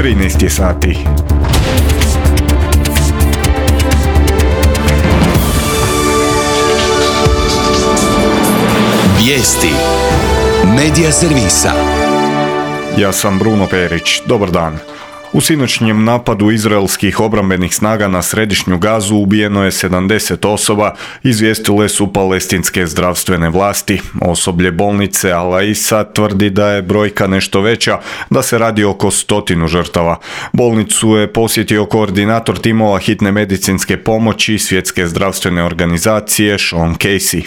13 sati. Vijesti Medija servisa. Ja sam Bruno Perić. Dobar dan. U sinoćnjem napadu izraelskih obrambenih snaga na središnju Gazu ubijeno je 70 osoba, izvijestile su palestinske zdravstvene vlasti. Osoblje bolnice Al-Aisa tvrdi da je brojka nešto veća, da se radi oko 100 žrtava. Bolnicu je posjetio koordinator timova hitne medicinske pomoći Svjetske zdravstvene organizacije Sean Casey.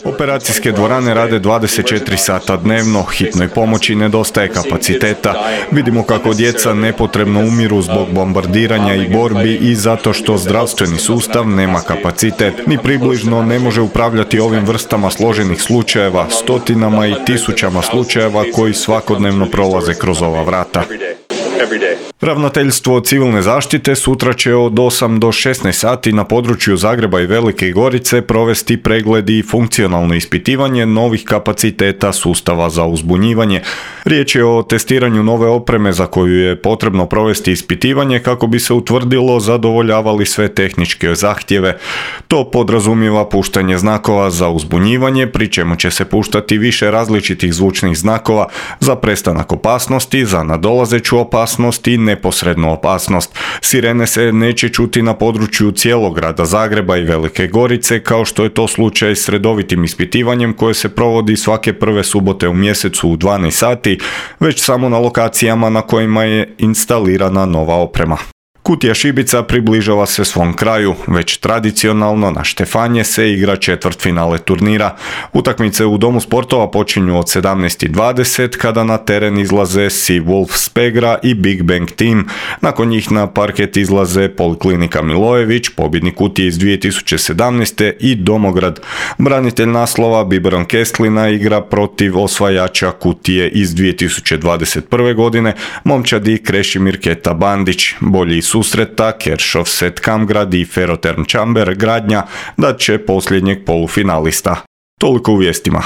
Operacijske dvorane rade 24 sata dnevno, hitnoj pomoći nedostaje kapaciteta. Vidimo kako djeca nepotrebno umiru zbog bombardiranja i borbi i zato što zdravstveni sustav nema kapacitet. Ni približno ne može upravljati ovim vrstama složenih slučajeva, stotinama i tisućama slučajeva koji svakodnevno prolaze kroz ova vrata. Ravnateljstvo civilne zaštite sutra će od 8 do 16 sati na području Zagreba i Velike Gorice provesti pregledi i funkcionalno ispitivanje novih kapaciteta sustava za uzbunjivanje. Riječ je o testiranju nove opreme za koju je potrebno provesti ispitivanje kako bi se utvrdilo zadovoljavali sve tehničke zahtjeve. To podrazumijeva puštanje znakova za uzbunjivanje, pri čemu će se puštati više različitih zvučnih znakova za prestanak opasnosti, za nadolazeću opasnost i neposrednu opasnost. Sirene se neće čuti na području cijelog grada Zagreba i Velike Gorice, kao što je to slučaj s redovitim ispitivanjem koje se provodi svake prve subote u mjesecu u 12 sati, već samo na lokacijama na kojima je instalirana nova oprema. Kutija šibica približava se svom kraju, već tradicionalno na Štefanje se igra četvrtfinale turnira. Utakmice u Domu sportova počinju od 17:20 kada na teren izlaze Sea Wolves Pegra i Big Bang Team. Nakon njih na parket izlaze Poliklinika Milojević, pobjednik Kutije iz 2017. i Domograd. Branitelj naslova Biberon Kestlina igra protiv osvajača Kutije iz 2021. godine, momčadi Krešimir Keta Bandić. Bolji susreta Keršov Set Kamgrad i Ferroterm Čamber Gradnja dat će posljednjeg polufinalista. Toliko u vijestima.